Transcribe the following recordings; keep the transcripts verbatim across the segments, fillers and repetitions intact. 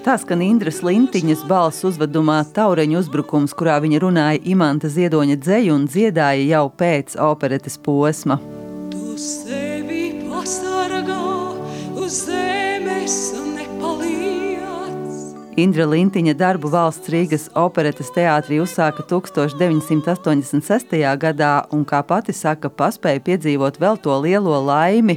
Tā skan Indras Lintiņas balss uzvedumā Taureņu uzbrukums, kurā viņa runāja Imanta Ziedoņa dzeju un dziedāja jau pēc operetes posma. Tu sevi pasargā uz zemes nepaliec. Indra Lintiņa darbu Valsts Rīgas operetes teātrī uzsāka tūkstoš deviņsimt astoņdesmit sestajā gadā un, kā pati saka, paspēja piedzīvot vēl to lielo laimi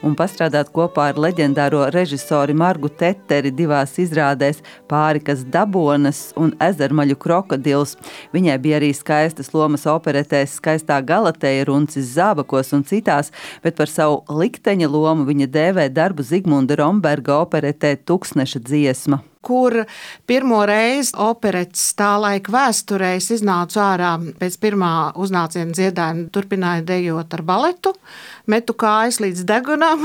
un pastrādāt kopā ar leģendāro režisori Margu Teteri divās izrādēs Pārikas Dabonas un Ezermaļu krokodils. Viņai bija arī skaistas lomas operetēs Skaistā Galateja, Runcis Zābakos un citās, bet par savu likteņa lomu viņa dēvē darbu Zigmunda Romberga operetē Tuksneša dziesma, kur pirmo reizi operetes tā laika vēsturēs iznācu ārā pēc pirmā uznāciena dziedājuma, turpināja dejot ar baletu, metu kājas līdz degunam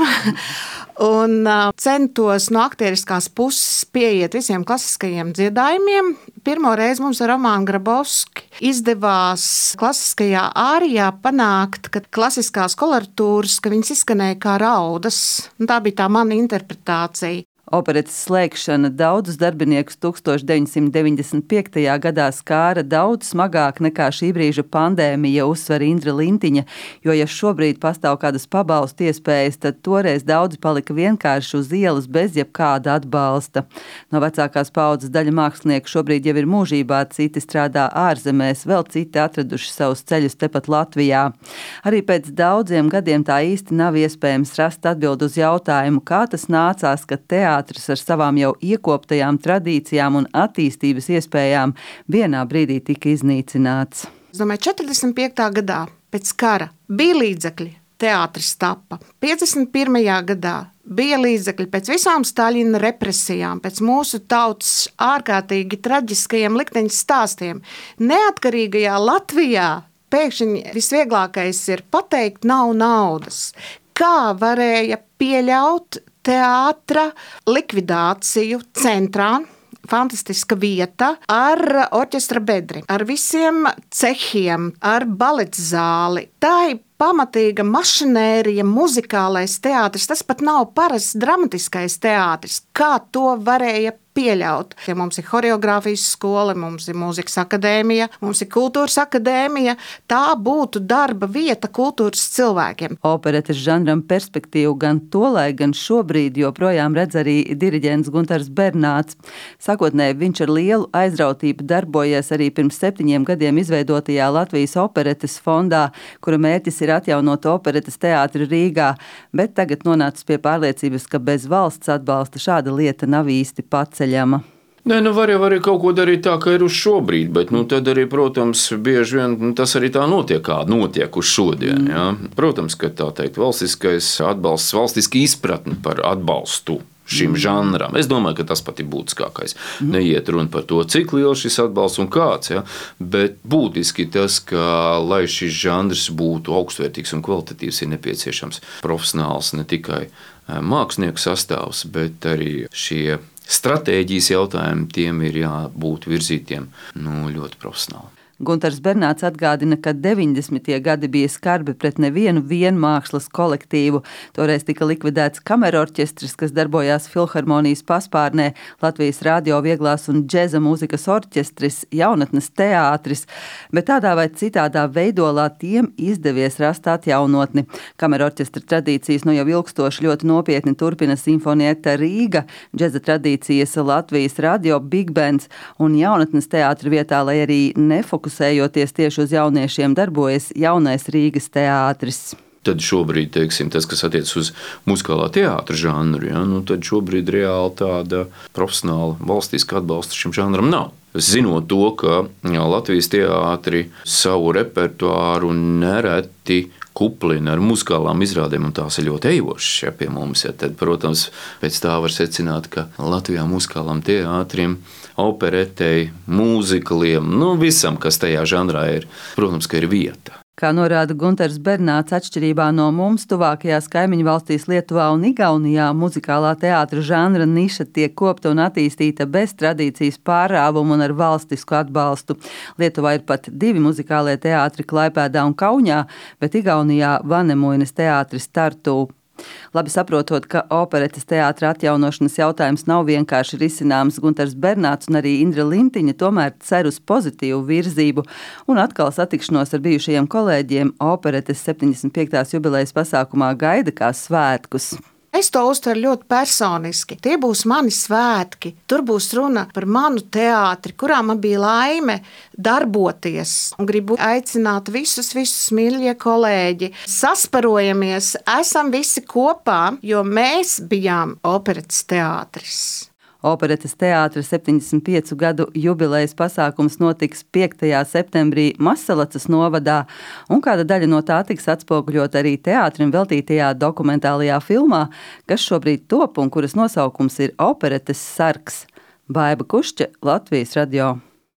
un centos no aktieriskās puses pieiet visiem klasiskajiem dziedājumiem. Pirmo reizi mums ar Romānu Grabovski izdevās klasiskajā ārijā panākt, ka klasiskās koloratūras, ka viņas izskanēja kā raudas. Tā bija tā mana interpretācija. Operetes slēgšana daudzus darbiniekus tūkstoš deviņsimt deviņdesmit piektajā gadā skāra daudz smagāk nekā šī brīža pandēmija, uzsver Indra Lintiņa, jo ja šobrīd pastāv kādas pabalstu iespējas, tad toreiz daudzi palika vienkārši uz ielas bez jebkāda atbalsta. No vecākās paaudzes daļa mākslinieku šobrīd jau ir mūžībā, citi strādā ārzemēs, vēl citi atraduši savus ceļus tepat Latvijā. Arī pēc daudziem gadiem tā īsti nav iespējams rast atbildi uz jautājumu, kā tas nācās, ka teātris ar savām jau iekoptajām tradīcijām un attīstības iespējām vienā brīdī tika iznīcināts. Es domāju, četrdesmit piektā gadā pēc kara bija līdzekļi, teātris tapa. piecdesmit pirmajā gadā bija līdzekļi pēc visām Staļina represijām, pēc mūsu tautas ārkārtīgi traģiskajiem likteņu stāstiem. Neatkarīgajā Latvijā pēkšņi visvieglākais ir pateikt nav naudas. Kā varēja pieļaut teātra likvidāciju centrā, fantastiska vieta, ar orķestra bedri, ar visiem cehiem, ar baletzāli. Tā ir pamatīga mašinērija, muzikālais teātris, tas pat nav parasts dramatiskais teātris. Kā to varēja pieļaut? Ja mums ir horeogrāfijas skola, mums ir mūzikas akadēmija, mums ir kultūras akadēmija, tā būtu darba vieta kultūras cilvēkiem. Operetes žanram perspektīvu gan tolaik, gan šobrīd joprojām redz arī diriģents Guntars Bernāts. Sākotnēji viņš ar lielu aizrautību darbojies arī pirms septiņiem gadiem izveidotajā Latvijas operetes fondā, kura mērķis ir atjaunot operetes teātri Rīgā, bet tagad nonācis pie pārliecības, ka bez valsts atbalsta šāda lieta nav īsti paceļama. Nē, nu var jau arī kaut ko darīt tā, ka ir uz šobrīd, bet nu, tad arī, protams, bieži vien nu, tas arī tā notiek, kā notiek uz šodien. Ja? Protams, ka tā teikt valstiskais atbalsts, valstiski izpratni par atbalstu šim žanram. Es domāju, ka tas pat ir būtiskākais. Neiet runa par to, cik liels šis atbalsts un kāds, ja? Bet būtiski tas, ka, lai šis žanrs būtu augstvērtīgs un kvalitatīvs, ir nepieciešams profesionāls ne tikai mākslinieku sastāvs, bet arī šie stratēģijas jautājumi, tiem ir jābūt virzītiem nu, ļoti profesionāli. Guntars Bernāts atgādina, ka deviņdesmitie gadi bija skarbi pret nevienu vienmākslas kolektīvu. Toreiz tika likvidēts kamerorķestris, kas darbojās Filharmonijas paspārnē, Latvijas radio vieglās un džeza mūzikas orķestris, jaunatnes teātris, bet tādā vai citādā veidolā tiem izdevies rast atjaunotni. Kamerorķestra tradīcijas nu jau ilgstoši ļoti nopietni turpina Simfonieta Rīga, džeza tradīcijas Latvijas radio Big Bands un jaunatnes teātri vietā, lai arī nefokusējoties tieši uz jauniešiem, darbojas jaunais Rīgas teātris. Tad šobrīd, teiksim, tas, kas attiec uz muzikālā teātra žanru, ja, nu, tad šobrīd reāli tāda profesionāla valstiska atbalsta šim žanram nav. Zinot to, ka jā, Latvijas teātri savu repertuāru nereti kuplina ar muzikālām izrādēm, un tās ir ļoti ejošas ja, pie mums. Ja, tad, protams, pēc tā var secināt, ka Latvijā muzikālām teātriem, operetei, mūzikaliem, nu visam, kas tajā žanrā ir, protams, ka ir vieta. Kā norāda Guntars Bernāts, atšķirībā no mums tuvākajās kaimiņu valstīs Lietuvā un Igaunijā muzikālā teātra žanra niša tiek kopta un attīstīta bez tradīcijas pārāvumu un ar valstisku atbalstu. Lietuvā ir pat divi muzikālie teātri Klaipēdā un Kaunijā, bet Igaunijā Vanemuinas teātris Tartū. Labi saprotot, ka operetes teātra atjaunošanas jautājums nav vienkārši risināms, Guntars Bernāts un arī Indra Lintiņa tomēr cer uz pozitīvu virzību un atkal satikšanos ar bijušajiem kolēģiem operetes septiņdesmit piektās jubilejas pasākumā gaida kā svētkus. Es to uztveru ļoti personiski. Tie būs mani svētki. Tur būs runa par manu teātri, kurā man bija laime darboties. Un gribu aicināt visus, visus mīļie kolēģi. Sasparojamies, esam visi kopā, jo mēs bijām operetes teātris. Operetes teātra septiņdesmit piecu gadu jubilejas pasākums notiks piektajā septembrī Masalacas novadā, un kāda daļa no tā tiks atspoguļot arī teātrim veltītajā dokumentālajā filmā, kas šobrīd top un kuras nosaukums ir Operetes sargs. Baiba Kušķe, Latvijas radio.